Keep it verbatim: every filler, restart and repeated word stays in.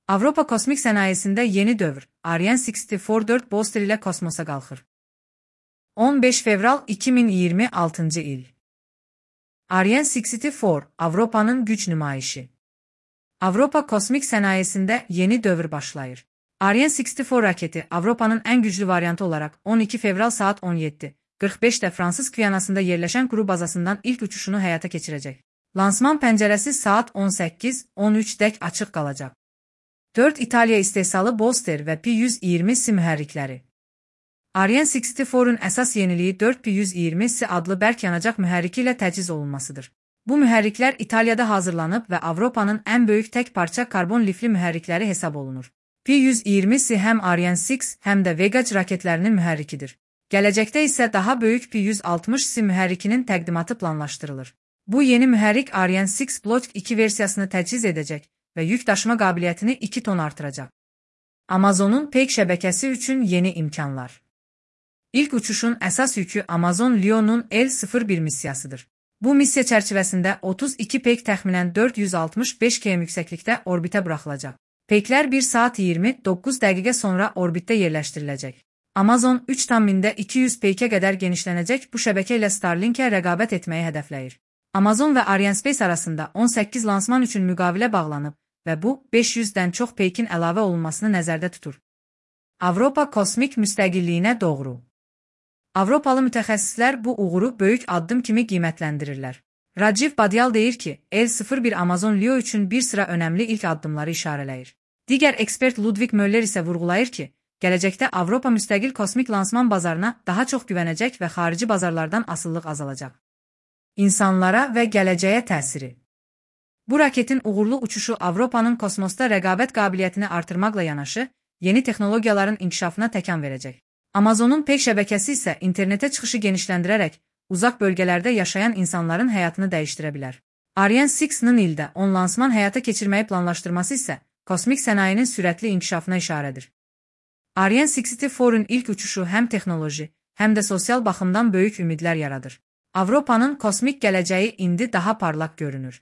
Avropa kosmik sənayesində yeni dövr. Ariane altı dörd booster ilə kosmosa qalxır. on beş fevral iki min iyirmi altıncı il. Ariane altı Avropanın güc nümayişi. Avropa kosmik sənayesində yeni dövr başlayır. Ariane altı raketi Avropanın ən güclü variantı olaraq on iki fevral saat on yeddi qırx beşdə Fransız Gviyanasında yerləşən quru bazasından ilk uçuşunu həyata keçirəcək. Lansman pəncərəsi saat on səkkiz on üçdək açıq qalacaq. dörd İtaliya istehsalı booster və P yüz iyirmi S mühərrikləri. Ariane altının əsas yeniliyi dörd P yüz iyirmi S adlı bərk yanacaq mühərriki ilə təchiz olunmasıdır. Bu mühərriklər İtaliyada hazırlanıb və Avropanın ən böyük tək parça karbon lifli mühərrikləri hesab olunur. P yüz iyirmi S həm Ariane altı həm də Vega raketlərinin mühərrikidir. Gələcəkdə isə daha böyük P yüz altmış S mühərrikinin təqdimatı planlaşdırılır. Bu yeni mühərrik Ariane altı Block iki versiyasını təchiz edəcək və yük daşıma qabiliyyətini iki ton artıracaq. Amazonun Peyk şəbəkəsi üçün yeni imkanlar. İlk uçuşun əsas yükü Amazon Leon'un L sıfır bir missiyasıdır. Bu missiya çərçivəsində otuz iki Peyk təxminən dörd yüz altmış beş kilometr yüksəklikdə orbitə buraxılacaq. Peyklər bir saat iyirmi doqquz dəqiqə sonra orbitdə yerləşdiriləcək. Amazon üç tam mində iki yüz Peykə qədər genişlənəcək bu şəbəkə ilə Starlinkə rəqabət etməyi hədəfləyir. Amazon və Arianespace arasında on səkkiz lansman üçün müqavilə bağlanıb və bu beş yüzdən çox Peykin əlavə olunmasını nəzərdə tutur. Avropa kosmik müstəqilliyinə doğru. Avropalı mütəxəssislər bu uğuru böyük addım kimi qiymətləndirirlər. Rajiv Badyal deyir ki, L sıfır bir Amazon Leo üçün bir sıra önəmli ilk addımları işarələyir. Digər ekspert Ludwig Möller isə vurğulayır ki, gələcəkdə Avropa müstəqil kosmik lansman bazarına daha çox güvənəcək və xarici bazarlardan asıllıq azalacaq. İnsanlara və gələcəyə təsiri. Bu raketin uğurlu uçuşu Avropanın kosmosda rəqabət qabiliyyətini artırmaqla yanaşı, yeni texnologiyaların inkişafına təkan verəcək. Amazonun Peyk şəbəkəsi isə internetə çıxışı genişləndirərək, uzaq bölgələrdə yaşayan insanların həyatını dəyişdirə bilər. Ariane altının ildə on lansman həyata keçirməyi planlaşdırması isə kosmik sənayinin sürətli inkişafına işarədir. Ariane altının ilk uçuşu həm texnoloji, həm də sosial baxımdan böyük ümidlər yaradır. Avropanın kosmik gələcəyi indi daha parlaq görünür.